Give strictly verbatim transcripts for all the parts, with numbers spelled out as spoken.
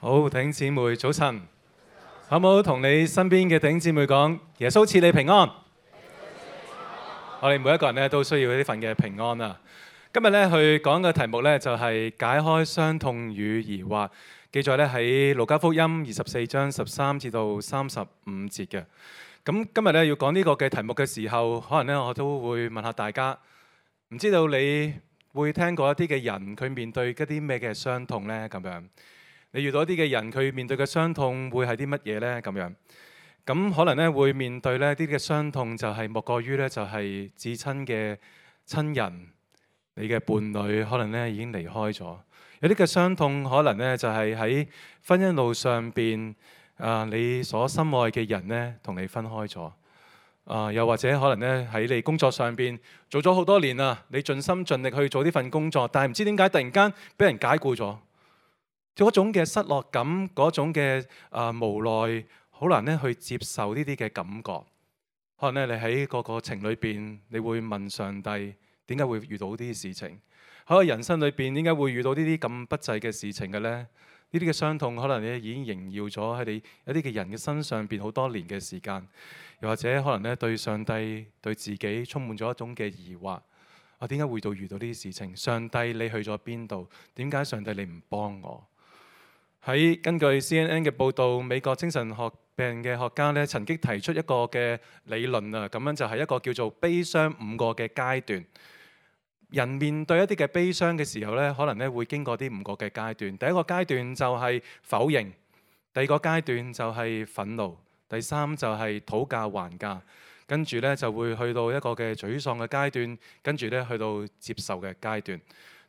好，弟兄姊妹早晨，好唔好同你身邊嘅弟兄姊妹講，耶穌賜你平安。我哋每一個人咧都需要呢份嘅平安啊！今日咧去講嘅題目咧就係解開傷痛與疑惑，記載咧喺路加福音二十四章十三至到三十五節嘅。咁今日咧要講呢個嘅題目嘅時候，可能咧我都會問下大家，唔知道你會聽過一啲嘅人佢面對一啲咩嘅傷痛呢？咁樣。你遇到一啲嘅人，佢面對嘅傷痛會係啲乜嘢呢？咁樣，咁可能咧會面對呢啲嘅傷痛，就係莫過於咧就係至親嘅親人，你嘅伴侶可能咧已經離開咗。有啲嘅傷痛可能咧就係喺婚姻路上邊，啊你所深愛嘅人咧同你分開咗，啊又或者可能咧喺你工作上邊做咗好多年啦，你盡心盡力去做呢份工作，但係唔知點解突然間俾人解僱咗。嗰種嘅失落感，嗰種嘅啊、呃、無奈，好難咧去接受呢啲嘅感覺。可能咧你喺個個情裏邊，你會問上帝點解會遇到呢啲事情？喺個人生裏邊，點解會遇到呢啲咁不濟嘅事情嘅呢？呢啲嘅傷痛可能咧已經縈繞咗喺你一啲嘅人嘅身上邊好多年嘅時間，又或者可能咧對上帝對自己充滿咗一種嘅疑惑。我點解會到遇到呢啲事情？上帝你去咗邊度？點解上帝你唔幫我？喺根據 C N N 嘅報導，美國精神學病嘅學家咧曾經提出一個嘅理論啊，咁樣就係一個叫做悲傷五個嘅階段。人面對一啲嘅悲傷嘅時候咧，可能咧會經過啲五個嘅階段。第一個階段就係否認，第二個階段就係憤怒，第三就係討價還價，跟住咧就會去到一個嘅沮喪嘅階段，跟住咧去到接受嘅階段。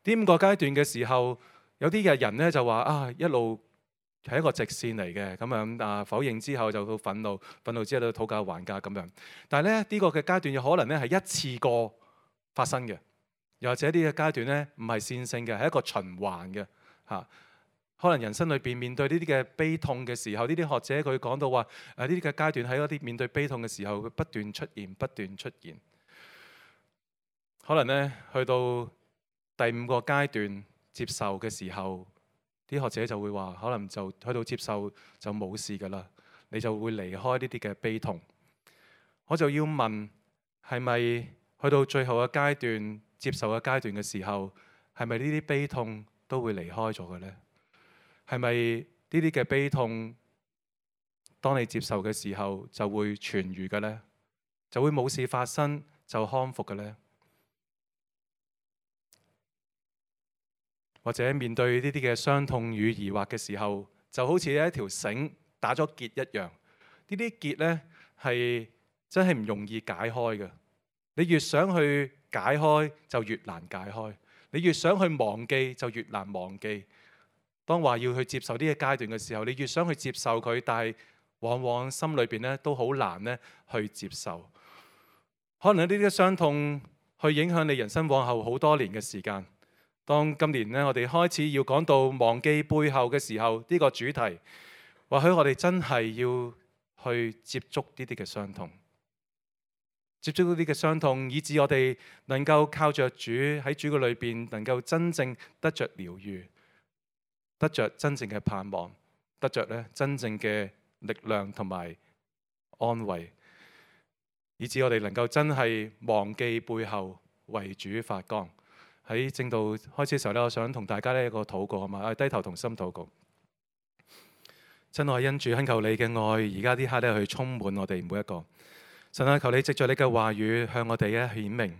呢五個階段嘅時候，有啲嘅人咧就話啊，一路係一個直線嚟嘅，咁樣啊否認之後就到憤怒，憤怒之後到討價還價咁樣。但係咧呢、呢個嘅階段有可能咧係一次過發生嘅，又或者呢個階段咧唔係線性嘅，係一個循環嘅嚇、啊。可能人生裏邊面，面對呢啲嘅悲痛嘅時候，呢啲學者佢講到話誒呢啲嘅階段喺嗰啲面對悲痛嘅時候，佢不斷出現，不斷出現。可能咧去到第五個階段。接受嘅時候，啲學者就會話，可能就去到接受就冇事㗎喇，你就會離開呢啲嘅悲痛。我就要問，係咪去到最後嘅階段，接受嘅階段嘅時候，係咪呢啲悲痛都會離開咗嘅呢？係咪呢啲嘅悲痛，當你接受嘅時候就會痊癒嘅呢？就會冇事發生就康復嘅呢？或者面對呢啲嘅傷痛與疑惑嘅時候，就好似一條繩打咗結一樣。呢啲結呢係真係唔容易解開嘅。你越想去解開，就越難解開；你越想去忘記，就越難忘記。當話要去接受呢個階段嘅時候，你越想去接受佢，但係往往心裏邊咧都好難咧去接受。可能呢啲傷痛去影響你人生往後好多年嘅時間。當今年咧，我哋開始要講到忘記背後嘅時候，呢個主題，或許我哋真係要去接觸呢啲嘅傷痛，接觸呢啲嘅傷痛，以致我哋能夠靠着主喺主嘅裏邊，能夠真正得着療愈，得着真正嘅盼望，得着咧真正嘅力量同埋安慰，以致我哋能夠真係忘記背後，為主發光。喺正道開始嘅時候咧，我想同大家呢一個禱告啊嘛，低頭同心禱告。真愛恩主，懇求你嘅愛，而家呢刻咧去充滿我哋每一個。神啊，求你藉著你嘅話語向我哋咧顯明，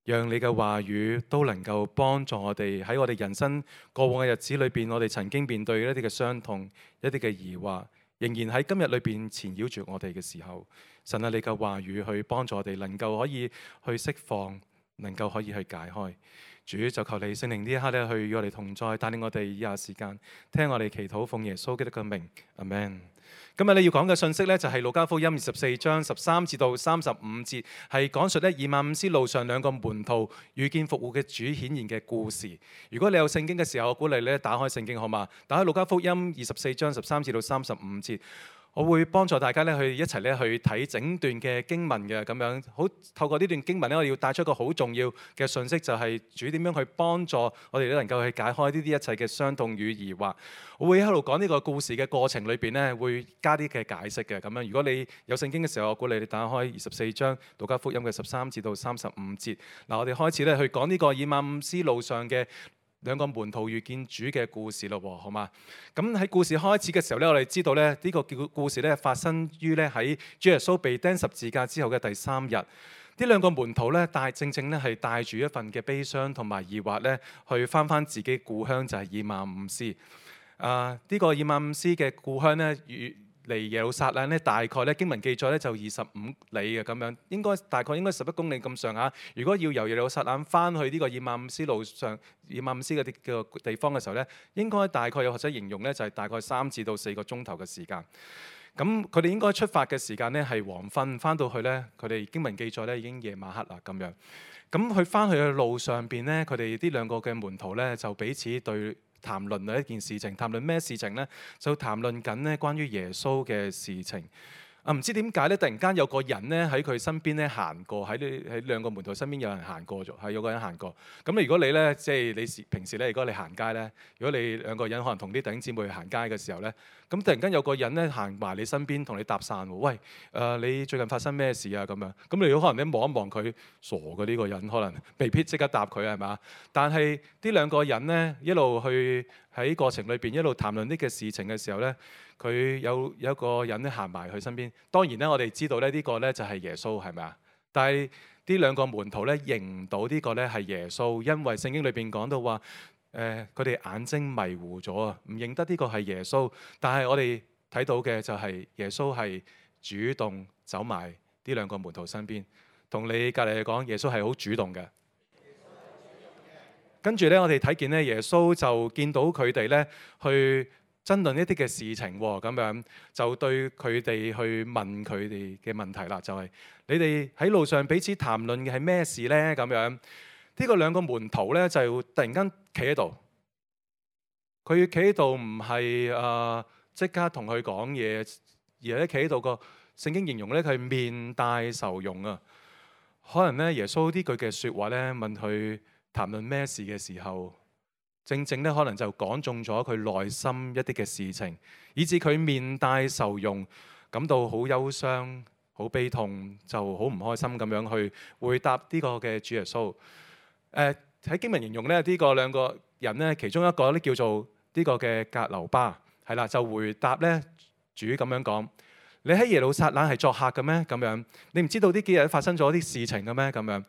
讓你嘅話語都能夠幫助我哋喺我哋人生過往嘅日子裏邊，我哋曾經面對一啲嘅傷痛、一啲嘅疑惑，仍然喺今日裏邊纏繞住我哋嘅時候，神啊，你嘅話語去幫助我哋，能夠可以去釋放。能夠可以去解開，主就求你聖靈呢一刻咧，去與我哋同在，帶領我哋以下時間聽我哋祈禱，奉耶穌基督嘅名，阿們。今日你要講嘅信息咧，就係路加福音二十四章十三至到三十五節，係講述咧以馬忤斯路上兩個門徒遇見復活嘅主顯現嘅故事。如果你有聖經嘅時候，我鼓勵你咧打開聖經好嘛？打開路加福音二十四章十三至到三十五節。我會幫助大家咧去一齊咧去睇整段嘅經文嘅咁樣，好透過呢段經文咧，我哋要帶出一個好重要嘅信息，就係主點樣去幫助我哋都能夠去解開呢啲一切嘅傷痛與疑惑。我會喺度講呢個故事嘅過程裏邊咧，會加啲嘅解釋嘅咁樣。如果你有聖經嘅時候，我鼓勵你打開二十四章路加福音嘅十三至到三十五節。嗱，我哋開始咧去講呢個以馬忤斯路上嘅兩個門徒遇見主嘅故事咯，好嘛？咁喺故事開始嘅時候咧，我哋知道咧呢、這個故故事咧發生於咧喺主耶穌被釘十字架之後嘅第三日。呢兩個門徒咧帶正正咧係帶住一份嘅悲傷同埋疑惑咧，去返返自己故鄉就係、是、以馬忤斯。啊，呢、這個以馬忤斯嘅故鄉咧與離耶路撒冷咧，大概咧經文記載咧就二十五里嘅咁樣，應該大概應該十一公里咁上下。如果要由耶路撒冷翻去呢個以馬忤斯路上、以馬忤斯嘅啲嘅地方嘅時候咧，應該大概有學者形容咧就係大概三至到四個鐘頭嘅時間。咁佢哋應該出發嘅時間咧係黃昏，翻到去咧佢哋經文記載咧已經夜晚黑啦咁樣。咁佢翻去嘅路上邊咧，佢哋呢兩個嘅門徒咧就彼此對談論啊一件事情，談論咩事情呢？就談論緊咧關於耶穌嘅事情。啊，唔知點解咧，突然間有個人咧喺佢身邊咧行過，喺呢喺兩個門徒身邊有人行過咗，係有個人行過。咁如果你咧即係你平時咧，如果你行街咧，如果你兩個人可能同啲弟兄姊妹去行街嘅時候咧，咁突然間有個人咧行埋你身邊同你搭訕喎，喂，誒、呃、你最近發生咩事啊？咁樣，咁你可能你望一望佢，傻嘅呢個人，可能未必即刻答佢係嘛？但係呢兩個人咧一路去喺過程裏邊一路談論呢個事情嘅時候咧，佢有有一個人咧行埋佢身邊。當然咧，我哋知道咧呢個咧就係耶穌係咪啊？但係呢兩個門徒咧認唔到呢個咧係耶穌，因為聖經裏邊講到話，誒佢哋眼睛迷糊咗啊，唔認得呢個係耶穌。但係我哋睇到嘅就係耶穌係主動走埋呢兩個門徒身邊，同你隔離嚟講，耶穌係好主動嘅。跟住咧，我哋睇見咧，耶穌就見到佢哋咧去爭論一啲嘅事情喎，咁樣就對佢哋去問佢哋嘅問題啦，就係你哋喺路上彼此談論嘅係咩事咧？咁樣呢個兩個門徒咧就突然間企喺度，佢企喺度唔係誒即刻同佢講嘢，而係咧企喺度個聖經形容咧佢係面帶愁容啊。可能咧耶穌呢句嘅説話咧問佢談論咩事嘅時候，正正咧可能就講中咗佢內心一啲嘅事情，以至佢面帶愁容，感到好憂傷、好悲痛，就好唔開心咁樣去回答呢個嘅主耶穌。誒、呃、喺經文形容咧，呢、這個兩個人咧，其中一個咧叫做呢個嘅革流巴，係啦，就回答咧主咁樣講：你喺耶路撒冷係作客嘅咩？咁樣你唔知道呢幾日發生咗啲事情嘅咩？咁樣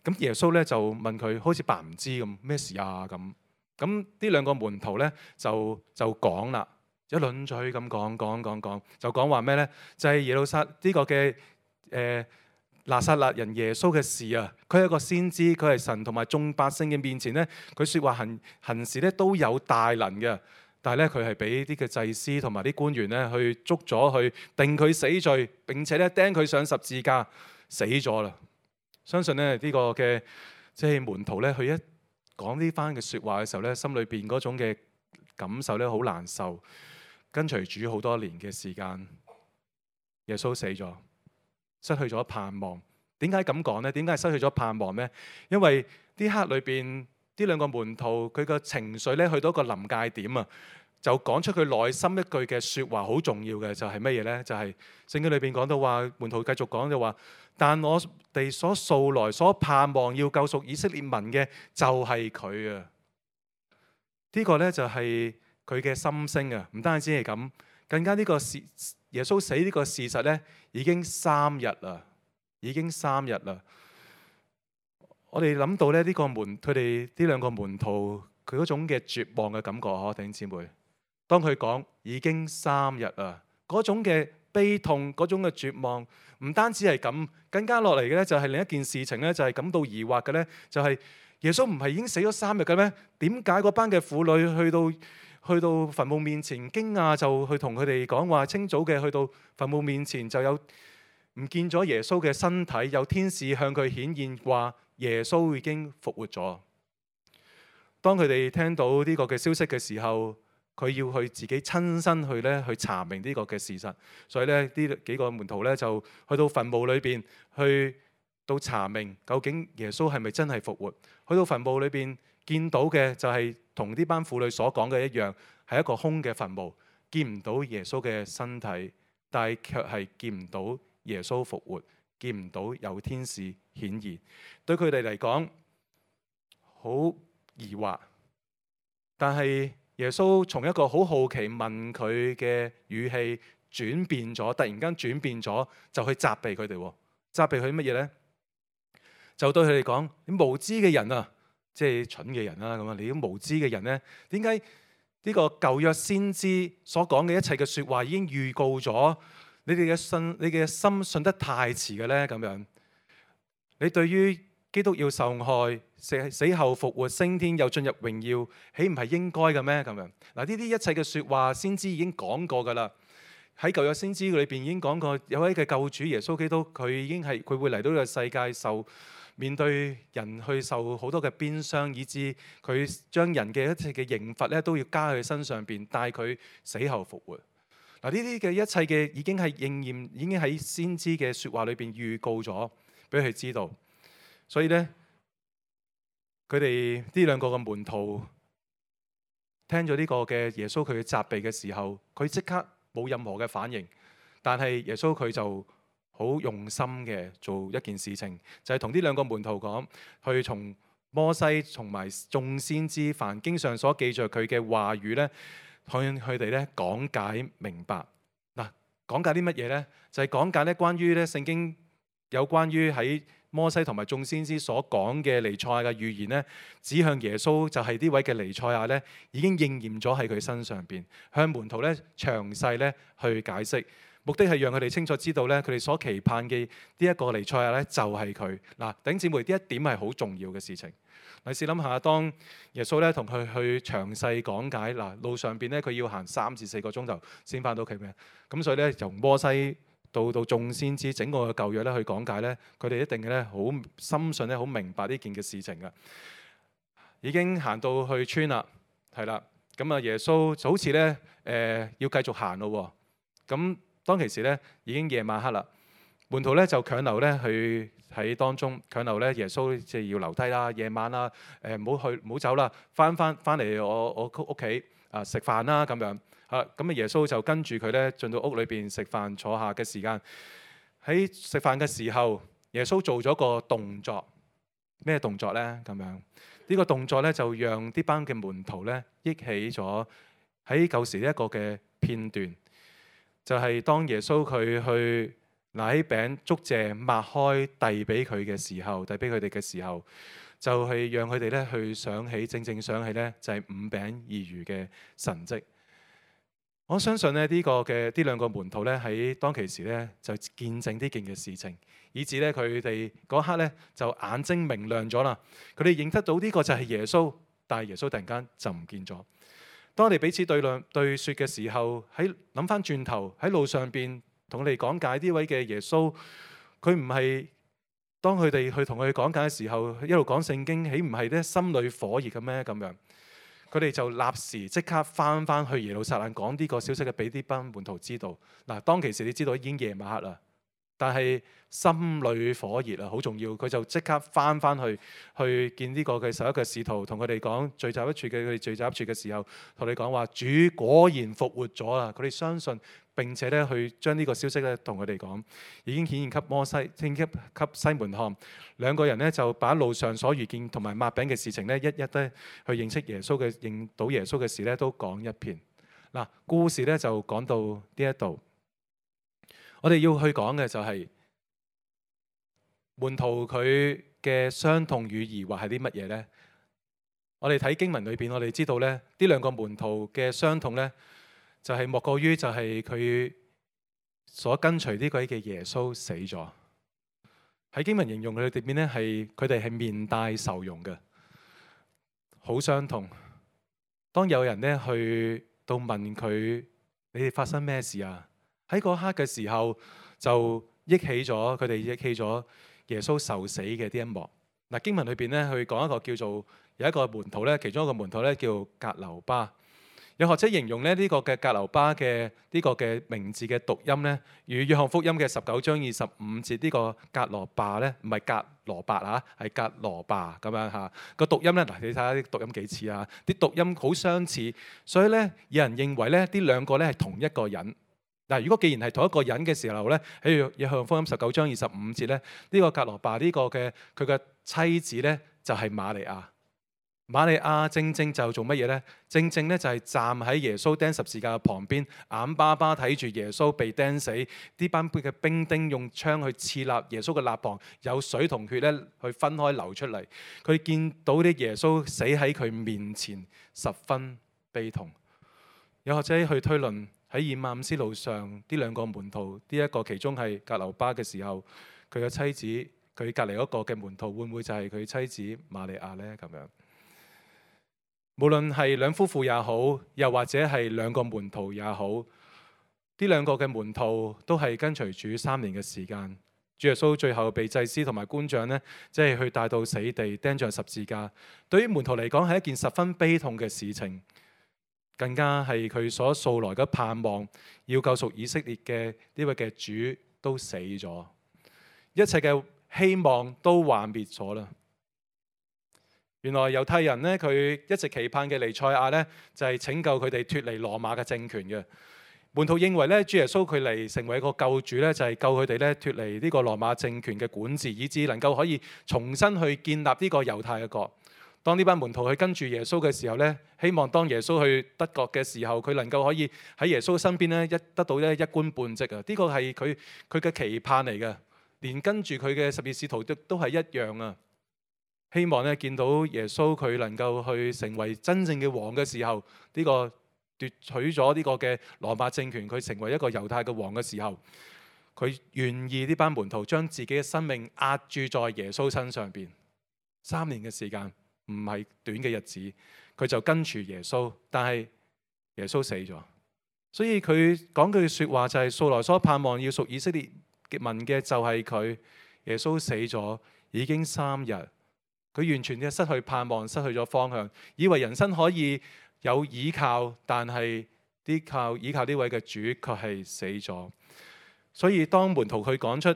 咁耶穌咧就問佢，好似扮唔知咁，咩事啊？咁咁呢兩個門徒咧就就講啦，一輪嘴咁講講講講，就講話咩咧？就係、是、耶路撒呢個嘅誒、呃、拿撒勒人耶穌嘅事啊！佢係一個先知，佢係神同埋眾百姓嘅面前咧，佢説話行行事咧都有大能嘅。但係咧，佢係俾啲嘅祭司同埋啲官員咧去捉咗，去定佢死罪，並且咧釘佢上十字架，死咗啦。相信咧呢、這個嘅即係門徒咧，佢一講呢番嘅説話嘅時候咧，心裏邊嗰種嘅感受咧好難受。跟隨主好多年嘅時間，耶穌死咗，失去咗盼望。點解咁講呢？點解係失去咗盼望呢？因為呢刻裏邊呢兩個門徒佢個情緒咧去到一個臨界點啊，就講出佢內心一句嘅説話，好重要嘅就係乜嘢呢？就係、是、聖經裏邊講到話，門徒繼續講就話：但我哋所素來所盼望要救贖以色列民嘅就係佢啊！呢個呢，就係佢嘅心聲啊！唔單止係咁，更加呢個事耶穌死呢個事實呢，已經三日啦，已經三日啦。我哋諗到咧呢個門，佢哋呢兩個門徒佢嗰種嘅絕望嘅感覺，嗬，弟兄姊妹。當佢講已經三日啦，嗰種嘅悲痛，嗰種嘅絕望，唔單止係咁，更加落嚟嘅咧就係另一件事情咧，就係感到疑惑嘅咧，就係耶穌唔係已經死咗三日嘅咩？點解嗰班嘅婦女去到去到墳墓面前驚訝，就去同佢哋講話，清早嘅去到墳墓面前就有唔見咗耶穌嘅身體，有天使向佢顯現話耶穌已經復活咗。當佢哋聽到呢個嘅消息嘅時候，佢要去自己親身去咧去查明呢個嘅事實。所以咧呢幾個門徒咧就去到墳墓裏邊去到查明究竟耶穌係咪真係復活。去到墳墓裏邊見到嘅就係同呢班婦女所講嘅一樣，係一個空嘅墳墓，見唔到耶穌嘅身體，但係卻係見唔到耶穌復活，見唔到有天使顯現。對佢哋嚟講好疑惑，但係耶穌從一個好好奇問佢嘅語氣轉變咗，突然間轉變咗，就去責備佢哋。責備佢乜嘢呢？就對佢哋講：你無知嘅人啊，即係蠢嘅人啦。咁啊，你啲無知嘅人呢？點解呢個舊約先知所講嘅一切嘅説話已經預告咗？你哋嘅信，你嘅心信得太遲嘅呢？咁樣，你對於基督要受害、死死後復活、升天又進入榮耀，豈唔係應該嘅咩？咁樣嗱，呢啲一切嘅説話，先知已經講過噶啦。喺舊約先知裏邊已經講過，有位嘅救主耶穌基督，佢已經係佢會嚟到呢個世界受面對人去受好多嘅鞭傷，以致佢將人嘅一切嘅刑罰咧都要加喺佢身上邊，帶佢死後復活。嗱，呢啲嘅一切嘅已經係應驗，已經喺先知嘅説話裏邊預告咗俾佢知道。所以咧，佢哋呢兩個嘅門徒聽咗呢個嘅耶穌佢嘅責備嘅時候，佢即刻冇任何嘅反應。但係耶穌佢就好用心嘅做一件事情，就係同呢兩個門徒講，去從摩西同埋眾先知凡經上所記著佢嘅話語咧，向佢哋咧講解明白。嗱，講解啲乜嘢咧？就係講解咧關於咧聖經有關於喺摩西同埋眾先知所講嘅彌賽亞嘅預言咧，指向耶穌就係呢位嘅彌賽亞咧，已經應驗咗喺佢身上邊，向門徒咧詳細咧去解釋，目的係讓佢哋清楚知道咧，佢哋所期盼嘅呢一個彌賽亞咧就係佢。嗱，弟兄姊妹，呢一點係好重要嘅事情。你試諗下，當耶穌咧同佢去詳細講解，嗱，路上邊咧佢要行三至四個鐘頭先翻到屋企嘅，咁所以咧由摩西到到眾先知整個嘅舊約咧去講解咧，佢哋一定咧好深信咧好明白呢件嘅事情嘅。已經行到去村啦，係啦，咁啊耶穌就好似咧誒要繼續行咯。咁當其時咧已經夜晚黑啦，門徒咧就強留咧去喺當中，強留咧耶穌即係要留低啦，夜晚啦，誒唔好去唔好走啦，翻翻翻嚟我我屋企啊食飯啦咁樣。啊，咁啊耶穌就跟住佢咧進到屋裏邊食飯坐下嘅時間，喺食飯嘅時候，耶穌做咗個動作，咩動作咧？咁樣呢個動作咧就讓啲班嘅門徒咧憶起咗喺舊時呢一個嘅片段，就係當耶穌佢去拿起餅祝謝擘開遞俾佢嘅時候，遞俾佢哋嘅時候，就係讓佢哋咧去想起，正正想起咧就係五餅二魚嘅神蹟。我相信咧呢個嘅呢兩個門徒咧喺當其時咧就見證呢件嘅事情，以至咧佢哋嗰刻咧就眼睛明亮咗啦。佢哋認得到呢個就係耶穌，但係耶穌突然間就唔見咗。當我哋彼此對論對説嘅時候，喺諗翻轉頭喺路上邊同佢哋講解呢位嘅耶穌，佢唔係當佢哋去同佢講解嘅時候一路講聖經，豈唔係咧心裏火熱嘅咩？咁樣。佢哋就立時即刻翻翻去耶路撒冷講呢個消息嘅俾啲班門徒知道。嗱，當其時你知道已經夜晚黑啦，但係心裏火熱啊，好重要。佢就即刻翻翻去去見呢個嘅十一個使徒，同佢哋講聚集一處嘅佢哋聚集一處嘅時候，同你講話主果然復活咗啦。佢哋相信並且咧去將呢個消息咧同佢哋講，已經顯現給摩西，顯現給西門看。兩個人咧就把路上所遇見同埋擘餅嘅事情咧，一一咧去認識耶穌嘅認到耶穌嘅事咧，都講一遍。嗱，故事咧就講到呢一度，我哋要去講嘅就係門徒佢嘅傷痛與疑惑係啲乜嘢呢？我哋睇經文裏邊，我哋知道咧呢兩個門徒嘅傷痛咧，就係莫過於就係佢所跟隨呢位嘅耶穌死咗。喺經文形容佢哋點呢？係佢哋係面帶愁容嘅，好傷痛。當有人咧去到問佢：你哋發生咩事啊？喺嗰刻嘅時候就憶起咗佢哋憶起咗耶穌受死嘅呢一幕。嗱，經文裏邊咧去講一個叫做有一個門徒咧，其中一個門徒咧叫革流巴。有學者形容咧呢個嘅革流巴嘅呢個嘅名字嘅讀音咧，與約翰福音嘅十九章二十五節呢個革羅巴咧，唔係革羅伯嚇，係革羅巴咁樣嚇。個讀音咧，嗱你睇下啲讀音幾似啊，啲讀音好相似，所以咧有人認為咧呢兩個咧係同一個人。嗱，如果既然係同一個人嘅時候咧，喺約翰福音十九章二十五節咧，呢個革羅巴呢個嘅佢嘅妻子咧就係瑪利亞。瑪利亞正正就做乜嘢呢？正正咧就係站喺耶穌釘十字架嘅旁邊，眼巴巴睇住耶穌被釘死，呢班嘅兵丁用槍去刺立耶穌嘅肋旁，有水同血咧去分開流出嚟。佢見到啲耶穌死喺佢面前，十分悲痛。有學者去推論喺以馬忤斯路上，呢兩個門徒，呢一個其中係革流巴嘅時候，佢嘅妻子，佢隔離嗰個嘅門徒會唔會就係佢妻子瑪利亞呢？咁樣。無論係兩夫婦也好，又或者係兩個門徒也好，呢兩個嘅門徒都係跟隨主三年嘅時間。主耶穌最後被祭司同埋官長呢，即係去帶到死地釘上十字架。對於門徒嚟講係一件十分悲痛嘅事情，更加係佢所素來嘅盼望，要救贖以色列嘅呢位嘅主都死咗，一切嘅希望都幻滅咗啦。原來猶太人咧，佢一直期盼嘅彌賽亞咧，就係拯救佢哋脫離羅馬嘅政權嘅。門徒認為咧，主耶穌佢嚟成為一個救主咧，就係救佢哋咧脫離呢個羅馬政權嘅管治，以致能夠可以重新去建立呢個猶太嘅國。當呢班門徒去跟住耶穌嘅時候咧，希望當耶穌去得國嘅時候，佢能夠可以喺耶穌身邊咧一得到咧一官半職啊！呢個係佢佢嘅期盼嚟嘅，連跟住佢嘅十二使徒都都係一樣啊！希望咧見到耶穌佢能夠去成為真正嘅王嘅時候，呢、這個奪取咗呢個嘅羅馬政權，佢成為一個猶太嘅王嘅時候，佢願意呢班門徒將自己嘅生命壓住在耶穌身上邊。三年嘅時間唔係短嘅日子，佢就跟住耶穌，但係耶穌死咗，所以佢講句説話就係、是、素來所盼望要屬以色列民嘅就係佢。耶穌死咗已經三日。佢完全嘅失去盼望，失去咗方向，以為人生可以有依靠，但係啲靠依靠呢位嘅主卻係死咗。所以當門徒佢講出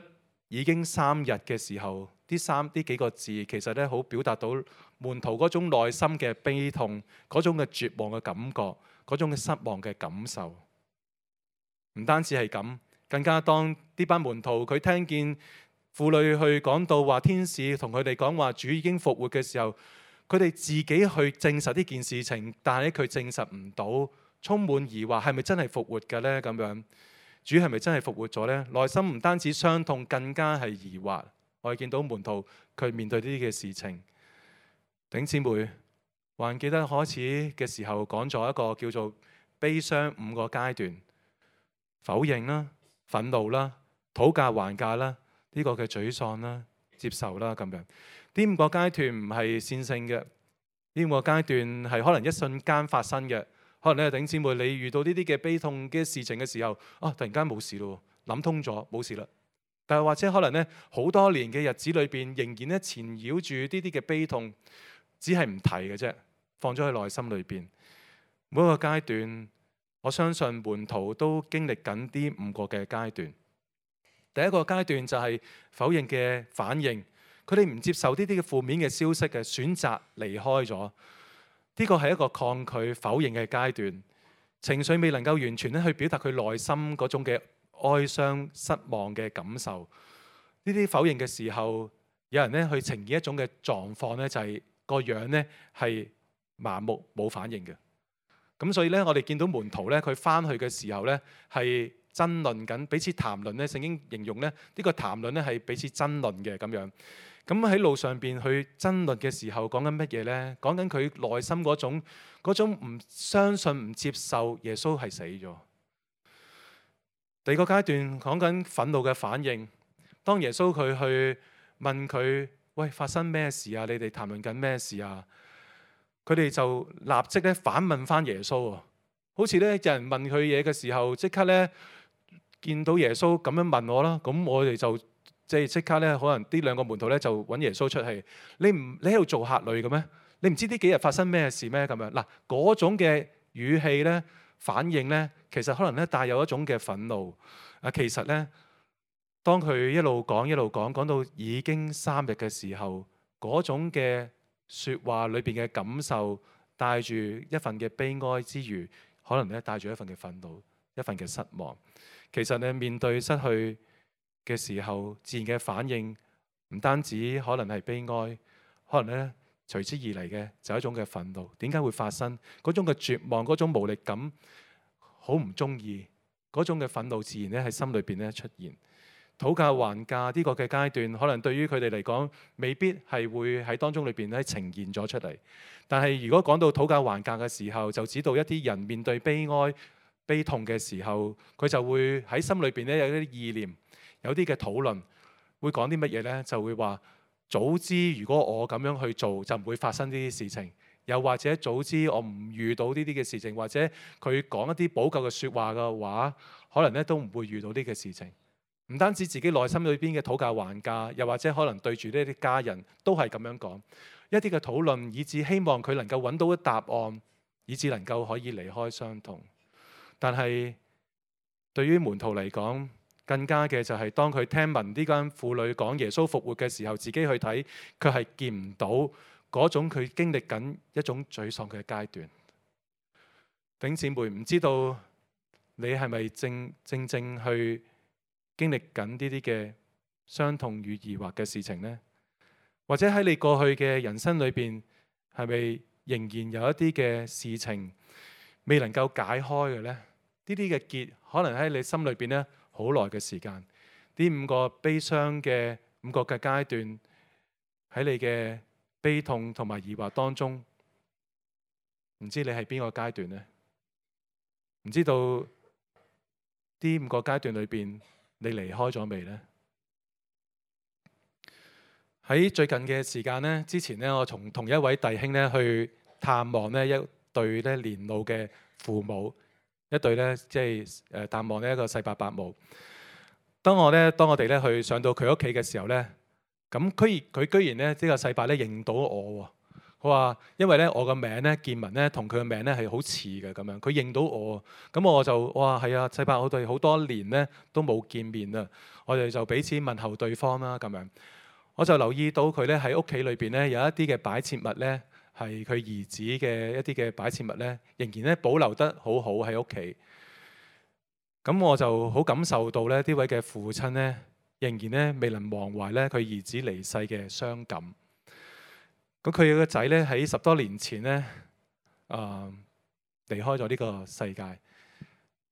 已經三日嘅時候，呢三呢幾個字其實咧好表達到門徒嗰種內心嘅悲痛，嗰種嘅絕望嘅感覺，嗰種嘅失望嘅感受。唔單止係咁，更加當呢班門徒佢聽見婦女去講到話天使同佢哋講話主已經復活嘅時候，佢哋自己去證實呢件事情，但係佢證實唔到，充滿疑惑，係咪真係復活嘅呢？咁樣主係咪真係復活咗呢？內心唔單止傷痛，更加係疑惑。我哋見到門徒佢面對呢啲嘅事情，弟兄姊妹還記得開始嘅時候講咗一個叫做悲傷五個階段：否認啦、憤怒啦、討價還價啦。呢個嘅沮喪啦、接受啦咁樣，呢五個階段唔係線性嘅，呢五個階段係可能一瞬間發生嘅。可能咧，弟兄姊妹，你遇到呢啲嘅悲痛嘅事情嘅時候，啊，突然間冇事咯，諗通咗冇事啦。但係或者可能咧，好多年嘅日子裏邊，仍然咧纏繞住呢啲嘅悲痛，只係唔提嘅啫，放咗喺內心裏邊。每一個階段，我相信門徒都經歷緊呢五個嘅階段。第一個階段就係否認嘅反應，佢哋唔接受呢啲嘅負面嘅消息嘅，選擇離開咗。呢個係一個抗拒否認嘅階段，情緒未能夠完全咧去表達佢內心嗰種嘅哀傷、失望嘅感受。呢啲否認嘅時候，有人咧去呈現一種嘅狀況咧，就係個樣咧係麻木冇反應嘅。咁所以咧，我哋見到門徒咧，佢翻去嘅時候咧係爭論緊，彼此談論咧。聖經形容咧，呢個談論咧係彼此爭論嘅咁樣。咁喺路上邊去爭論嘅時候，講緊乜嘢呢？講緊佢內心嗰種嗰種唔相信、唔接受耶穌係死咗。第二個階段講緊憤怒嘅反應。當耶穌佢去問佢：喂，發生咩事啊？你哋談論緊咩事啊？佢哋就立即咧反問翻耶穌啊！好似咧有人問佢嘢嘅時候，即刻咧。見到耶穌咁樣問我啦，咁我哋就即係即刻咧，可能呢兩個門徒咧就揾耶穌出氣。你唔你喺度做客旅嘅咩？你唔知呢幾日發生咩事咩？咁樣嗱，嗰種嘅語氣咧、反應咧，其實可能咧帶有一種嘅憤怒。啊，其實咧，當佢一路講一路講，講到已經三日嘅時候，嗰種嘅説話裏邊嘅感受，帶住一份嘅悲哀之餘，可能咧帶住一份嘅憤怒、一份嘅失望。其實咧面對失去嘅時候，自然嘅反應唔單止可能係悲哀，可能咧隨之而嚟嘅就係一種嘅憤怒。點解會發生？嗰種嘅絕望、嗰種無力感，好唔中意嗰種嘅憤怒，自然咧喺心裏邊咧出現。討價還價呢個嘅階段，可能對於佢哋嚟講，未必係會喺當中裏邊咧呈現咗出嚟。但係如果講到討價還價嘅時候，就指到一啲人面對悲哀、悲痛嘅時候，佢就會喺心裏邊咧有啲意念，有啲嘅討論，會講啲乜嘢呢？就會話早知如果我咁樣去做，就唔會發生呢啲事情。又或者早知我唔遇到呢啲嘅事情，或者佢講一啲補救嘅説話嘅話，可能咧都唔會遇到呢個事情。唔單止自己內心裏邊嘅討價還價，又或者可能對住呢啲家人都係咁樣講一啲嘅討論，以致希望佢能夠揾到一答案，以致能夠可以離開傷痛。但係對於門徒嚟講，更加嘅就係當佢聽聞呢間婦女講耶穌復活嘅時候，自己去睇，佢係見唔到嗰種佢經歷緊一種沮喪嘅階段。弟兄姊妹，唔知道你係咪正正正去經歷緊呢啲嘅傷痛與疑惑嘅事情呢？或者喺你過去嘅人生裏邊，係咪仍然有一啲嘅事情未能夠解開嘅呢？呢啲嘅結可能喺你心裏邊呢好耐嘅時間。呢五個悲傷嘅五個嘅階段，喺你嘅悲痛同埋疑惑當中，唔知你係邊個階段呢？唔知道呢五個階段裏邊，你離開咗未呢？喺最近嘅時間呢，之前呢，我從同一位弟兄呢去探望呢一對咧年老嘅父母，一對呢，即係誒探望呢一個世伯伯母。當我呢，當我哋咧去上到佢屋企嘅時候呢，咁居然佢居然呢，呢個世伯咧認到我喎。佢話因為咧我個名咧建文咧同佢嘅名咧係好似嘅咁樣，佢認到我，咁我就哇係啊，世伯，我哋好多年咧都冇見面啦，我哋就彼此問候對方啦咁樣。我就留意到佢咧喺屋企裏邊咧有一啲嘅擺設物咧係佢兒子嘅一啲嘅擺設物咧，仍然咧保留得好好喺屋企。咁我就好感受到咧呢位嘅父親咧仍然咧未能忘懷咧佢兒子離世嘅傷感。咁佢個仔咧喺十多年前咧，啊、呃、離開咗呢個世界。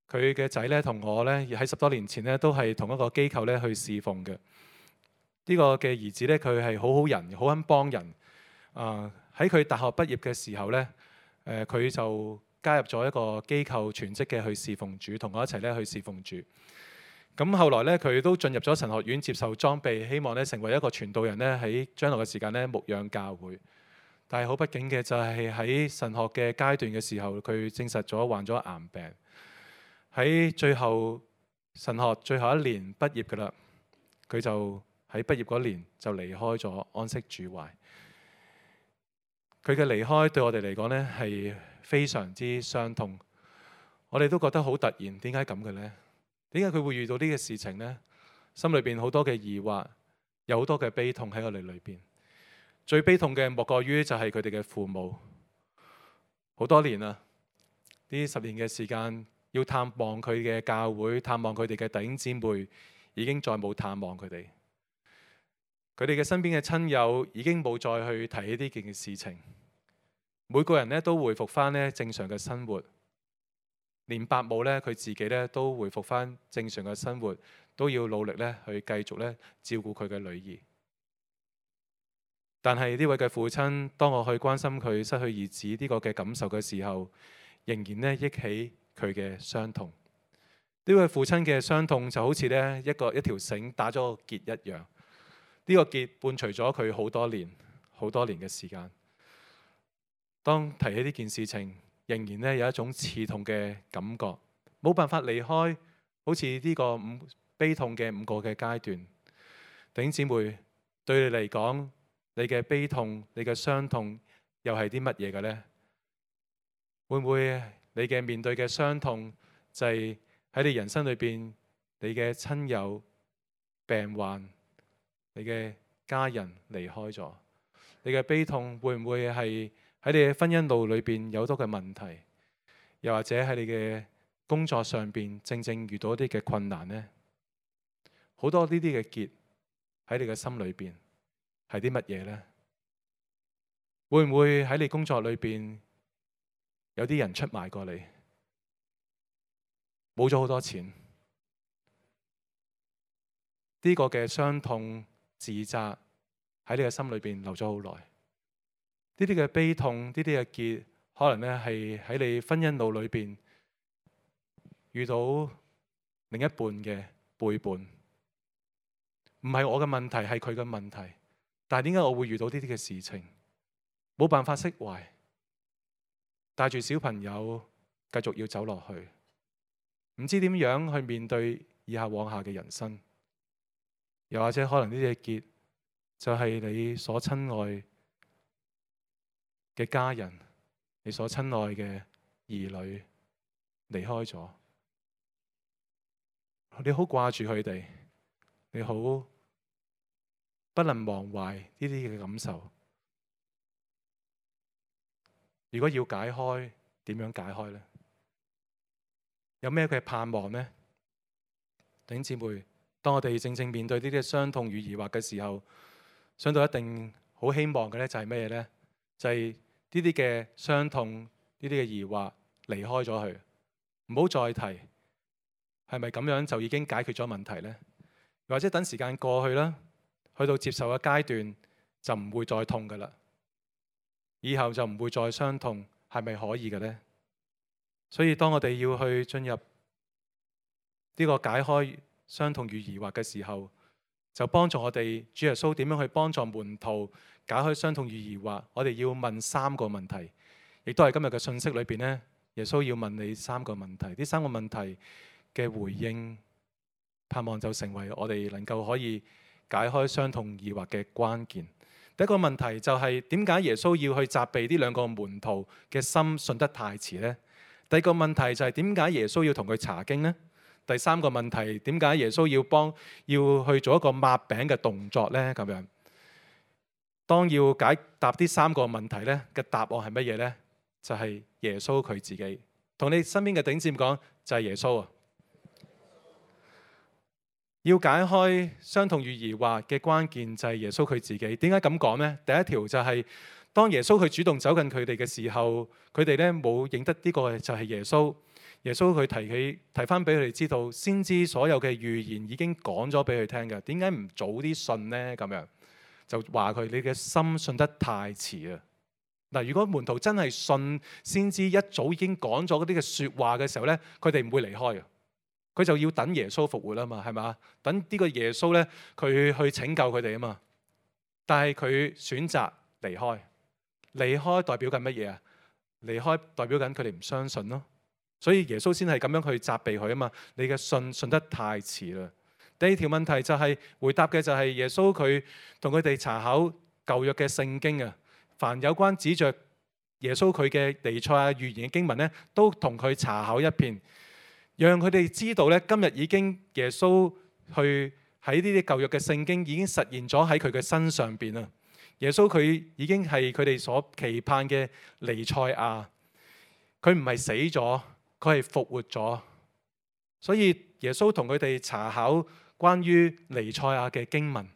佢嘅仔咧同我咧喺十多年前咧都係同一個機構咧去侍奉嘅。呢、這個嘅兒子咧佢係好好人，好肯幫人。啊喺佢大學畢業嘅時候咧，誒、呃、佢就加入咗一個機構全職嘅去侍奉主，同我一齊咧去侍奉主。咁後來咧，佢都進入咗神學院接受裝備，希望咧成為一個傳道人咧，喺將來嘅時間咧牧養教會。但係好不幸嘅就係喺神學嘅階段嘅時候，佢證實咗患咗癌病。喺最後神學最後一年畢業㗎啦，佢就喺畢業嗰年就離開咗，安息主懷。佢嘅離開對我哋嚟講咧係非常之傷痛，我哋都覺得好突然，點解咁嘅呢？點解佢會遇到呢個事情呢？心裏邊好多嘅疑惑，有好多嘅悲痛喺我哋裏邊。最悲痛嘅莫過於就係佢哋嘅父母，好多年啦，呢十年嘅時間要探望佢嘅教會，探望佢哋嘅弟兄姊妹，已經再冇探望佢哋。佢哋嘅身邊嘅親友已經冇再去提起呢件事情。每個人咧都回復翻咧正常嘅生活。連伯母咧，佢自己咧都回復翻正常嘅生活，都要努力咧去繼續咧照顧佢嘅女兒。但係呢位嘅父親，當我去關心佢失去兒子呢個嘅感受嘅時候，仍然咧憶起佢嘅傷痛。呢位父親嘅傷痛就好似咧一個一條繩打咗個結一樣。呢個結伴隨咗佢好多年，好多年嘅時間。當提起呢件事情，仍然咧有一種刺痛嘅感覺，冇辦法離開，好似呢個五悲痛嘅五個嘅階段。弟兄姊妹，對你嚟講，你嘅悲痛、你嘅傷痛又係啲乜嘢嘅呢？會唔會你嘅面對嘅傷痛就係喺你人生裏邊，你嘅親友病患，你嘅家人離開咗。你嘅悲痛會唔會係喺你嘅婚姻路裏邊有好多嘅問題，又或者喺你嘅工作上邊正正遇到一啲嘅困難呢？好多呢啲嘅結喺你嘅心裏邊係啲乜嘢呢？會唔會喺你工作裏邊有啲人出賣過你，冇咗好多錢？呢個嘅傷痛、自責喺你嘅心裏邊留咗好耐。呢啲嘅悲痛、呢啲嘅結，可能咧係喺你婚姻路裏邊遇到另一半嘅背叛，唔係我嘅問題，係佢嘅問題。但係點解我會遇到呢啲嘅事情？冇辦法釋懷，帶住小朋友繼續要走落去，唔知點樣去面對以下往下嘅人生。又或者可能呢啲嘅結就係你所親愛嘅家人，你所親愛嘅兒女離開咗，你好掛住佢哋，你好不能忘懷呢啲嘅感受。如果要解開，點樣解開呢？有咩嘅盼望呢？弟兄姊妹，當我哋正正面對呢啲傷痛與疑惑嘅時候，想到一定好希望嘅咧，就係咩呢？就係呢啲嘅傷痛、呢啲嘅疑惑離開咗佢，唔好再提。係咪咁樣就已經解決咗問題呢？或者等時間過去啦，去到接受嘅階段就唔會再痛噶啦，以後就唔會再傷痛，係咪可以嘅呢？所以當我哋要去進入呢個解開傷痛與疑惑嘅時候，就幫助我哋主耶穌點樣去幫助門徒解開傷痛與疑惑。我哋要問三個問題，亦都係今日嘅信息裏邊呢，耶穌要問你三個問題。呢三個問題嘅回應，盼望就成為我哋能夠可以解開傷痛疑惑嘅關鍵。第一個問題就係點解耶穌要去責備呢兩個門徒嘅心信得太遲呢？第二個問題就係點解耶穌要同佢查經呢？第三個問題，點解耶穌要幫要去做一個抹餅嘅動作呢？咁樣，當要解答呢三個問題呢嘅答案係乜嘢呢？就係耶穌佢自己。同你身邊嘅弟兄姊妹講，就係耶穌啊！要解開傷痛與疑惑嘅關鍵就係耶穌佢自己。點解咁講呢？第一條就係當耶穌佢主動走近佢哋嘅時候，佢哋咧冇認得呢個就係耶穌。耶穌佢提起提翻俾佢哋知道，先知所有嘅預言已經講咗俾佢聽嘅。點解唔早啲信呢？咁樣就話佢，你嘅心信得太遲啊！嗱，如果門徒真係信先知一早已經講咗嗰啲嘅説話嘅時候呢，佢哋唔會離開嘅。佢就要等耶穌復活啊嘛，係嘛？等呢個耶穌咧，佢去拯救佢哋啊嘛。但係佢選擇離開，離開代表緊乜嘢啊？離開代表緊佢哋唔相信咯。所以耶穌先係咁樣去責備佢啊嘛。你嘅信信得太遲啦。第二條問題就係回答嘅就係耶穌佢同佢哋查考舊約嘅聖經啊。凡有關指着耶穌佢嘅彌賽亞預言嘅經文咧，都同佢查考一遍。讓佢哋知道咧，今日已經耶穌去喺呢啲舊約嘅聖經已經實現咗喺佢嘅身上邊啦。耶穌佢已經係佢哋所期盼嘅彌賽亞，佢唔係死咗，佢係復活咗。所以耶穌同佢哋查考關於彌賽亞嘅經文。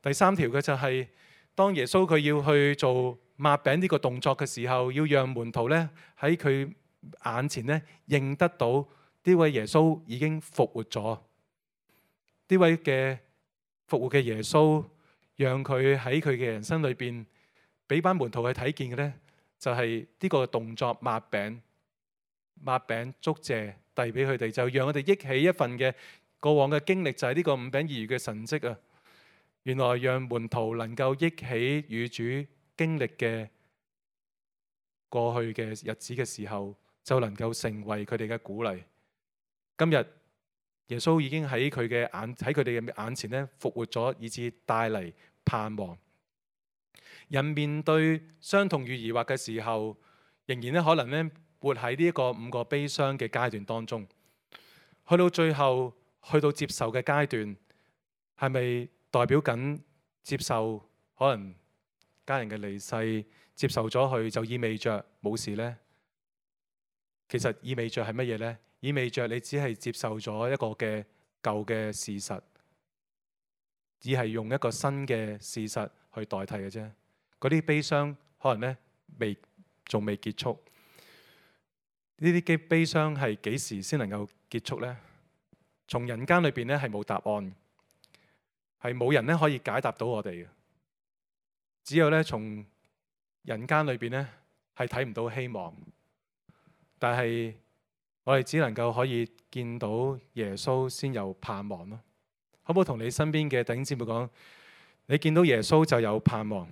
第三條嘅就係、是、當耶穌佢要去做抹餅呢個動作嘅時候，要讓門徒咧喺佢眼前咧認得到。呢位耶穌已經復活咗，呢位嘅復活嘅耶穌，讓佢喺佢嘅人生裏邊，俾班門徒去睇見嘅呢，就係呢個動作抹餅、抹餅祝謝遞俾佢哋，就讓我哋憶起一份嘅過往嘅經歷，就係呢個五餅二魚嘅神蹟啊！原來讓門徒能夠憶起與主經歷嘅過去嘅日子嘅時候，就能夠成為佢哋嘅鼓勵。今日耶穌已經喺佢嘅眼喺佢哋嘅眼前咧復活咗，以致帶嚟盼望。人面對傷痛與疑惑嘅時候，仍然咧可能咧活喺呢一個五個悲傷嘅階段當中，去到最後去到接受嘅階段，係咪代表緊接受可能家人嘅離世，接受咗佢就意味着冇事呢？其實意味着係乜嘢呢？意味着你只係接受咗一個嘅舊嘅事實，只係用一個新嘅事實去代替嘅啫。嗰啲悲傷可能呢未仲未結束。呢啲嘅悲傷係幾時先能夠結束呢？從人間裏邊呢係冇答案，係冇人呢可以解答到我哋嘅。只有呢從人間裏邊呢係睇唔到希望，但係我哋只能夠可以見到耶穌先有盼望咯。可唔可以同你身邊嘅弟兄姊妹講，你見到耶穌就有盼望？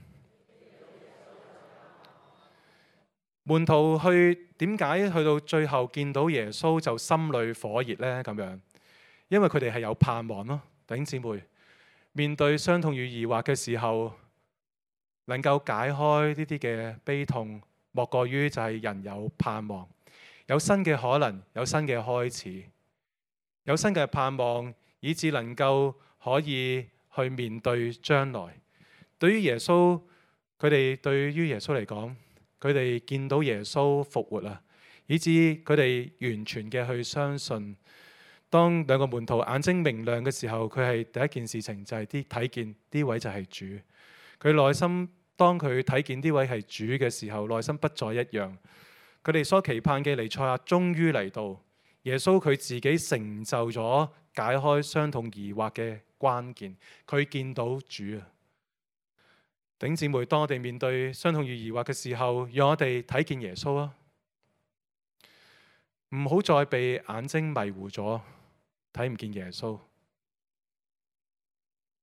門徒去點解去到最後見到耶穌就心裏火熱呢？咁樣，因為佢哋係有盼望咯。弟兄姊妹，面對傷痛與疑惑嘅時候，能夠解開呢啲嘅悲痛，莫過於就係人有盼望，有新嘅可能，有新嘅開始，有新嘅盼望，以致能夠可以去面對將來。對於耶穌，佢哋對於耶穌嚟講，佢哋見到耶穌復活啊，以致佢哋完全嘅去相信。當兩個門徒眼睛明亮嘅時候，佢係第一件事情就係啲睇見呢位就係主。佢內心當佢睇見呢位係主嘅時候，內心不再一樣。佢哋所期盼嘅彌賽亞終於嚟到，耶穌佢自己成就咗解開傷痛疑惑嘅關鍵。佢見到主啊！弟兄姊妹，當我哋面對傷痛與疑惑嘅時候，讓我哋睇見耶穌啊！唔好再被眼睛迷糊咗，睇唔見耶穌。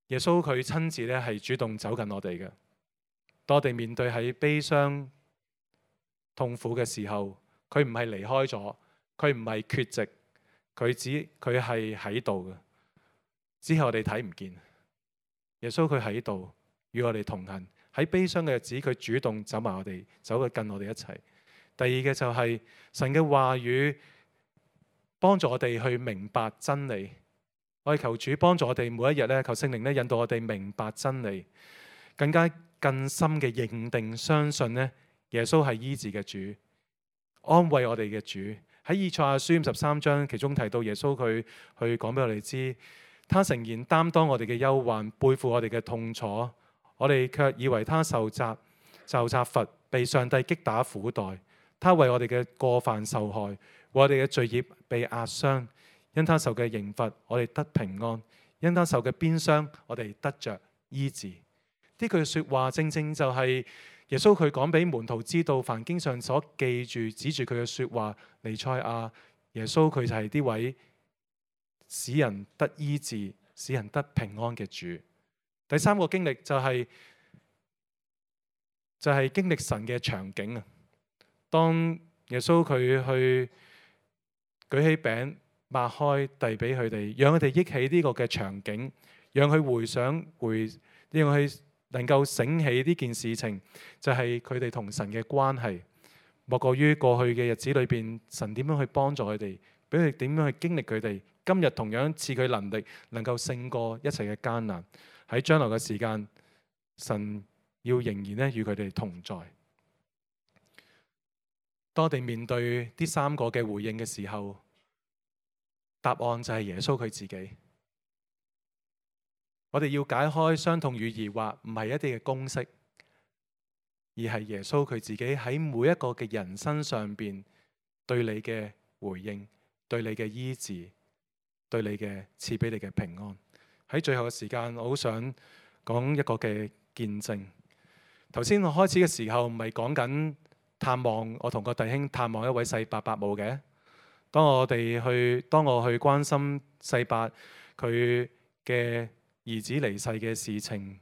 耶穌佢親自咧係主動走近我哋嘅。當我哋面對喺悲傷痛苦嘅時候，佢唔係離開咗，佢唔係缺席，佢只佢係喺度嘅。只係我哋睇唔見。耶穌佢喺度，與我哋同行。喺悲傷嘅日子，佢主動走埋我哋，走去近我哋一齊。第二嘅就係神嘅話語幫助我哋去明白真理。我哋求主幫助我哋每一日咧，求聖靈咧引導我哋明白真理，更加更深嘅認定相信咧，耶穌係醫治嘅主，安慰我哋嘅主。喺以賽亞書五十三章其中提到耶穌佢去講俾我哋知，他誠然擔當我哋嘅憂患，背負我哋嘅痛楚。我哋卻以為他受責受責罰，被上帝擊打苦待。他為我哋嘅過犯受害，為我哋嘅罪孽被壓傷。因他受嘅刑罰，我哋得平安；因他受嘅鞭傷，我哋得着醫治。呢句說話正正就係耶穌佢講俾門徒知道，凡經上所記住指住佢嘅說話，彌賽亞耶穌佢就係呢位使人得醫治、使人得平安嘅主。第三個經歷就係就係經歷神嘅場景啊！當耶穌佢去舉起餅擘開遞俾佢哋，讓佢哋憶起呢個嘅場景，讓佢回想回，讓佢能夠醒起呢件事情，就係佢哋同神嘅關係。莫過於過去嘅日子裏邊，神點樣去幫助佢哋，俾佢哋點樣去經歷佢哋。今日同樣賜佢能力，能夠勝過一切嘅艱難。喺將來嘅時間，神要仍然咧與佢哋同在。當我哋面對呢三個嘅回應嘅時候，答案就係耶穌佢自己。我哋要解開傷痛與疑惑，唔係一啲嘅公式，而係耶穌佢自己喺每一個嘅人身上邊對你嘅回應，對你嘅醫治，對你嘅賜俾你嘅平安。喺最後嘅時間，我好想講一個嘅見證。頭先我開始嘅時候，唔係講緊探望我同個弟兄探望一位世伯伯母嘅。當我哋去，當我去關心世伯佢嘅兒子離世嘅事情，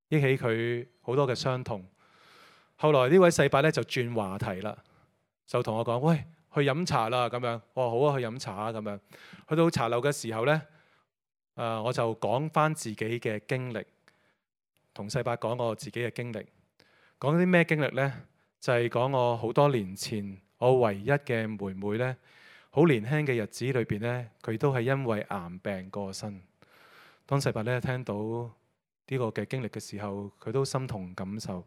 憶起佢好多嘅傷痛。後來呢位世伯咧就轉話題啦，就同我講：喂，去飲茶啦咁樣。我話好啊，去飲茶啊咁樣。去到茶樓嘅時候呢。誒、uh, 我就講翻自己嘅經歷，同世伯講我自己嘅經歷。講啲咩經歷呢？就係、是、講我好多年前我唯一嘅妹妹呢，好年輕嘅日子裏邊呢，佢都係因為癌病過身。當世伯咧聽到呢個嘅經歷嘅時候，佢都心同感受。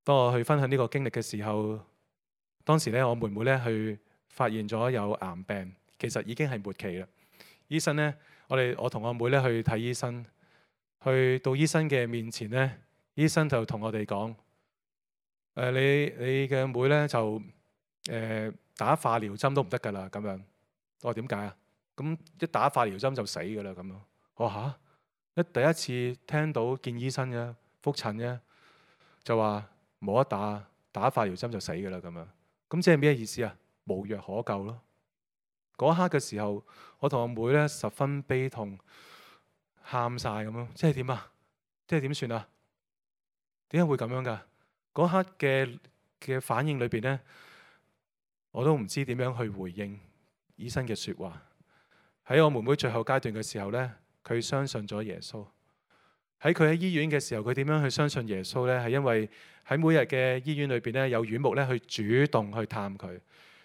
當我去分享呢個經歷嘅時候，當時咧我妹妹咧去發現咗有癌病，其實已經係末期啦。醫生咧，我哋我同我妹咧去睇醫生，去到醫生嘅面前咧，醫生就同我哋講：誒、呃，你你嘅妹咧就誒、呃、打化療針都唔得㗎啦。咁樣，我話點解啊？咁一打化療針就死㗎啦。咁樣，我話嚇，一第一次聽到見醫生嘅覆診嘅，就話冇得打，打化療針就死㗎啦。咁樣，咁即係咩意思啊？無藥可救咯。嗰刻嘅時候，我同我妹咧十分悲痛，喊晒咁樣，即係點啊？即係點算啊？點解會咁樣㗎？嗰刻嘅嘅反應裏邊咧，我都唔知點樣去回應醫生嘅説話。喺我妹妹最後階段嘅時候咧，佢相信咗耶穌。喺佢喺醫院嘅時候，佢點樣去相信耶穌咧？係因為喺每日嘅醫院裏邊咧，有院牧咧去主動去探佢，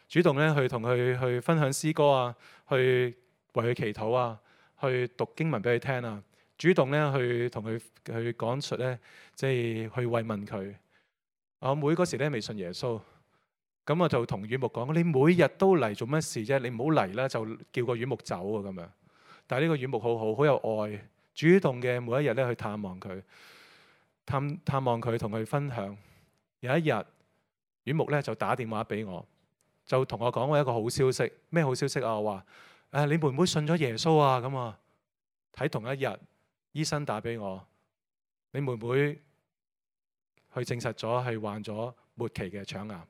主動咧去同佢去分享詩歌啊，去為佢祈禱啊，去讀經文俾佢聽啊，主動咧去同佢去講述咧，即係去慰問佢。我妹嗰時咧未信耶穌。咁我就同院牧講：你每日都嚟做乜事啫？你唔好嚟啦，就叫個院牧走啊咁樣。但係呢個院牧好好，好有愛，主動嘅每一日咧去探望佢，探探望佢，同佢分享。有一日，院牧咧就打電話俾我，就同我講我一個好消息。咩好消息啊？我話：誒，你妹妹信咗耶穌啊！咁啊，喺同一日，醫生打俾我，你妹妹去證實咗係患咗末期嘅腸癌。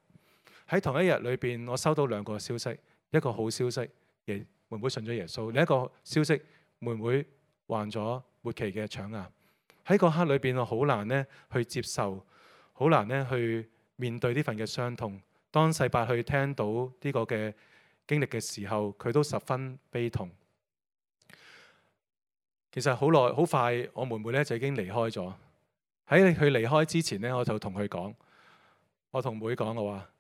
喺同一日裏邊，我收到兩個消息，一個好消息，耶妹妹信咗耶穌；另一個消息，妹妹患咗末期嘅腸癌。喺嗰刻裏邊，我好難咧去接受，好難咧去面對呢份嘅傷痛。當世伯去聽到呢個嘅經歷嘅時候，佢都十分悲痛。其實好耐好快，我妹妹咧就已經離開咗。喺佢離開之前咧，我就同佢講，我同妹講我話。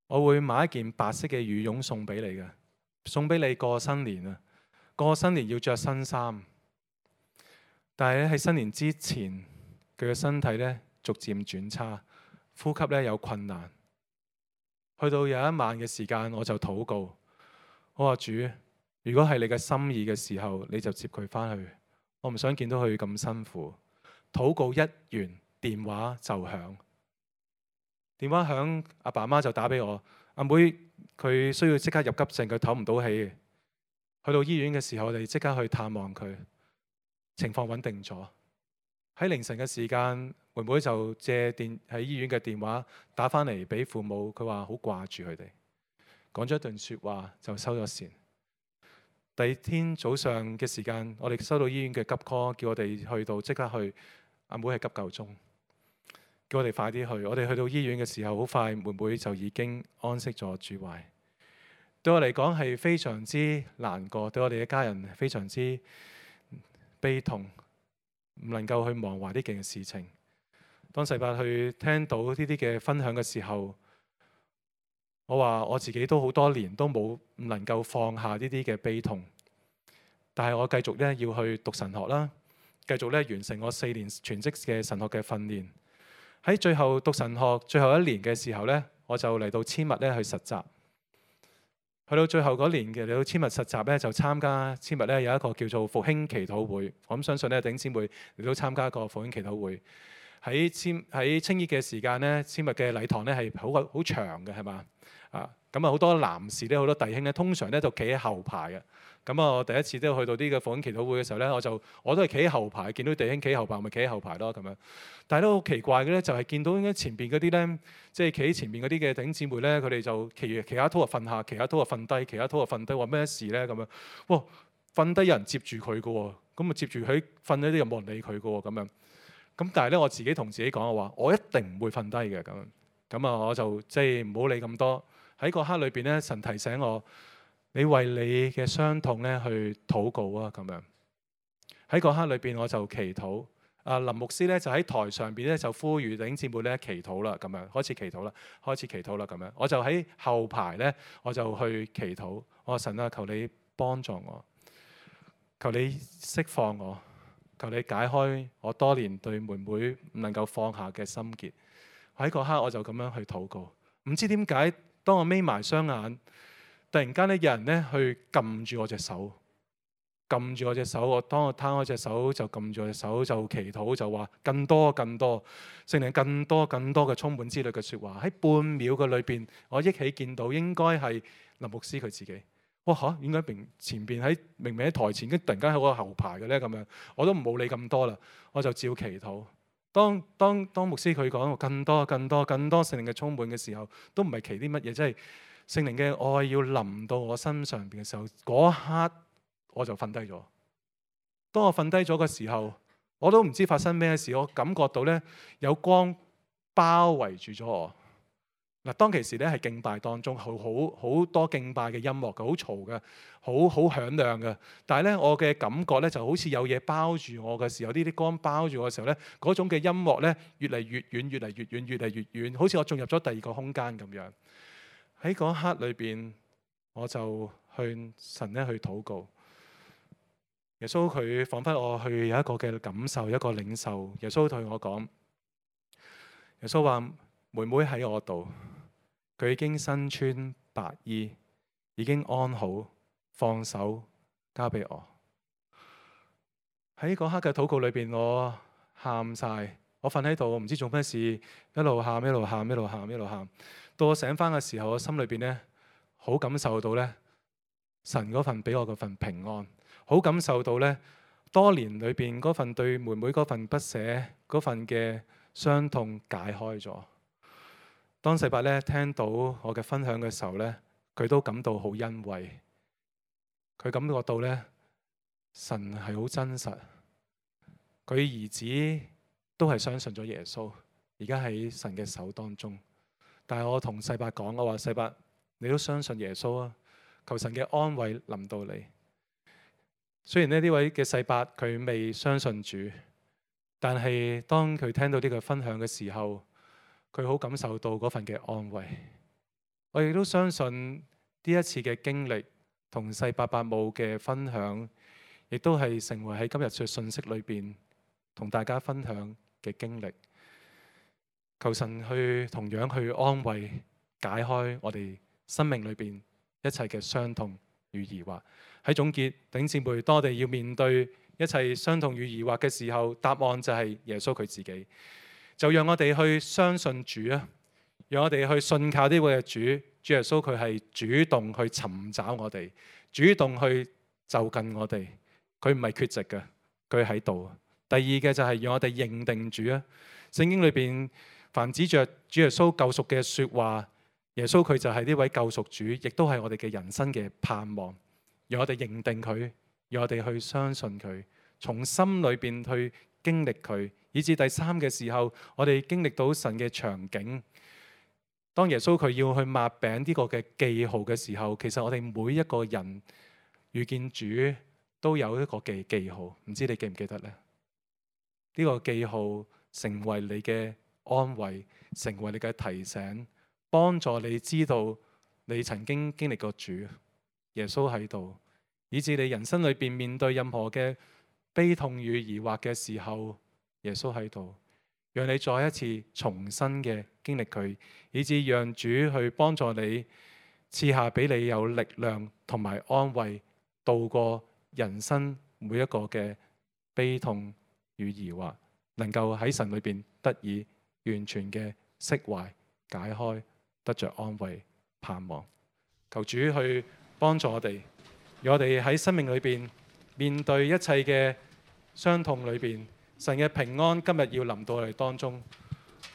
我會買一件白色嘅羽絨送俾你嘅，送俾你過新年啊！過新年要着新衫，但係咧喺新年之前，佢嘅身體咧逐漸轉差，呼吸咧有困難。去到有一晚嘅時間，我就禱告，我話主，如果係你嘅心意嘅時候，你就接佢翻去。我唔想見到佢咁辛苦。禱告一完，電話就響。電話響，阿爸媽就打俾我。阿妹佢需要即刻入急症，佢唞唔到氣。去到醫院嘅時候，我哋即刻去探望佢，情況穩定咗。喺凌晨嘅時間，妹妹就借電喺醫院嘅電話打返嚟俾父母，佢話好掛住佢哋，講咗一段説話就收咗線。第二天早上嘅時間，我哋收到醫院嘅急 call，叫我哋去到即刻去。阿妹係急救中。叫我哋快啲去，我哋去到醫院嘅時候，好快妹妹就已經安息咗主懷。對我嚟講係非常之難過，對我哋嘅家人非常之悲痛，唔能夠去忘懷呢件事情。當世伯去聽到呢啲嘅分享嘅時候，我話我自己都好多年都冇唔能夠放下呢啲嘅悲痛，但係我繼續咧要去讀神學啦，繼續咧完成我四年全職嘅神學嘅訓練。喺最後讀神學最後一年嘅時候呢，我就嚟到千麥咧去實習。去到最後嗰年嘅嚟到千麥實習咧，就參加千麥咧有一個叫做復興祈禱會。我諗相信咧弟兄姊妹嚟到參加一個復興祈禱會。喺千喺青衣嘅時間咧，千麥嘅禮堂咧係好好長嘅，係嘛啊？咁啊好多男士咧，好多弟兄咧，通常咧就企喺後排嘅。咁啊，我第一次都去到呢個復興祈禱會嘅時候咧，我就我都係企喺後排，見到弟兄企喺後排，咪企喺後排咯咁樣。但係都好奇怪嘅咧，就係見到前邊嗰啲咧，即係企喺前邊嗰啲嘅弟兄姊妹咧，佢哋就騎騎下拖就瞓下，騎下拖就瞓低，騎下拖就瞓低，話咩事咧咁樣？哇！瞓低有人接住佢嘅喎，咁啊接住佢瞓咗啲又冇人理佢嘅喎咁樣。咁但係咧，我自己同自己講嘅話，我一定唔會瞓低嘅咁樣。咁啊，我就即係唔好理咁多。喺嗰刻裏邊咧，神提醒我。你為你嘅傷痛咧去禱告啊，咁樣喺嗰刻裏邊我就祈禱，啊林牧師咧就喺台上邊咧就呼籲弟兄姊妹咧祈禱啦，咁樣開始祈禱啦，開始祈禱啦咁樣。我就喺後排咧，我就去祈禱。我話神啊，求你幫助我，求你釋放我，求你解開我多年對妹妹唔能夠放下嘅心結。喺嗰刻我就咁樣去禱告。唔知點解，當我眯埋雙眼，突然間咧有人咧去撳住我隻手，撳住我隻手。我當我攤開隻手就撳住我隻手，就祈禱，就話更多更多聖靈更多更多嘅充滿之類嘅説話。喺半秒嘅裏邊，我憶起見到應該係林牧師佢自己。哇嚇！點解明前邊喺明明喺台前，跟突然間喺我後排嘅咧咁樣？我都冇理咁多啦，我就照祈禱。當當當牧師佢講更多更多更多聖靈嘅充滿嘅時候，都唔係祈啲乜嘢，即係聖靈嘅愛要臨到我身上邊嘅時候，嗰一刻我就瞓低咗。當我瞓低咗嘅時候，我都唔知發生咩事，我感覺到咧有光包圍住咗我。嗱，當其時咧係敬拜當中，好好好多敬拜嘅音樂嘅，好嘈嘅，好好響亮嘅。但係咧，我嘅感覺咧就好似有嘢包住我嘅時候，呢啲光包住我嘅時候咧，嗰種嘅音樂咧越嚟越遠，越嚟越遠，越嚟越遠，好似我進入咗第二個空間咁樣。喺嗰一刻裏邊，我就向神咧去禱告。耶穌佢彷彿我去有一個嘅感受，一個領受。耶穌對我講：耶穌話妹妹喺我度。佢已經身穿白衣，已經安好，放手交俾我。喺嗰刻嘅禱告裏邊，我喊晒，我瞓喺度，我唔知做咩事，一路喊一路喊一路喊一路喊。到我醒翻嘅時候，我心裏邊呢，好感受到呢神嗰份俾我嗰份平安，好感受到呢多年裏邊嗰份對妹妹嗰份不捨，嗰份嘅傷痛解開咗。當世伯咧聽到我嘅分享嘅時候咧，佢都感到好欣慰。佢感覺到咧，神係好真實。佢兒子都係相信咗耶穌，而家喺神嘅手當中。但係我同世伯講，我話世伯，你都相信耶穌啊？求神嘅安慰臨到你。雖然呢呢位嘅世伯佢未相信主，但係當佢聽到呢個分享嘅時候，佢好感受到嗰份嘅安慰。我亦都相信呢一次嘅經歷同世伯伯母嘅分享，亦都係成為喺今日嘅信息裏邊同大家分享嘅經歷。求神去同樣去安慰解開我哋生命裏邊一切嘅傷痛與疑惑。喺總結，弟兄姊妹，當我哋要面對一切傷痛與疑惑嘅時候，答案就係耶穌佢自己。就讓我哋去相信主啊！讓我哋去信靠呢位嘅主，主耶穌佢係主動去尋找我哋，主動去就近我哋。佢唔係缺席嘅，佢喺度。第二嘅就係讓我哋認定主啊！聖經裏邊凡指着主耶穌救贖嘅說話，耶穌佢就係呢位救贖主，亦都係我哋嘅人生嘅盼望。讓我哋認定佢，讓我哋去相信佢，從心裏邊去經歷佢。以至第三嘅時候，我哋經歷到神嘅場景。當耶穌佢要去擘餅呢個嘅記號嘅時候，其實我哋每一個人遇見主都有一個記記號，唔知你記唔記得呢？呢個記號成為你嘅安慰，成為你嘅提醒，幫助你知道你曾經經歷過主，耶穌喺度，以至你人生裏邊面對任何嘅悲痛與疑惑嘅時候，耶穌喺度，讓你再一次重新嘅經歷佢，以至讓主去幫助你，賜下俾你有力量同埋安慰，度過人生每一個嘅悲痛與疑惑，能夠喺神裏邊得以完全嘅釋懷、解開，得着安慰、盼望。求主去幫助我哋，讓我哋喺生命裏邊面對一切嘅傷痛裏邊。神嘅平安今日要臨到我哋當中，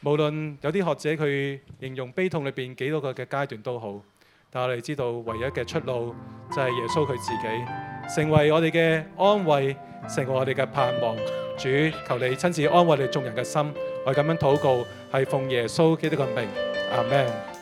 無論有啲學者佢形容悲痛裏邊幾多個嘅階段都好，但我哋知道唯一嘅出路就係耶穌佢自己，成為我哋嘅安慰，成為我哋嘅盼望。主，求你親自安慰你眾人嘅心，我哋咁樣禱告，係奉耶穌基督嘅名，阿們。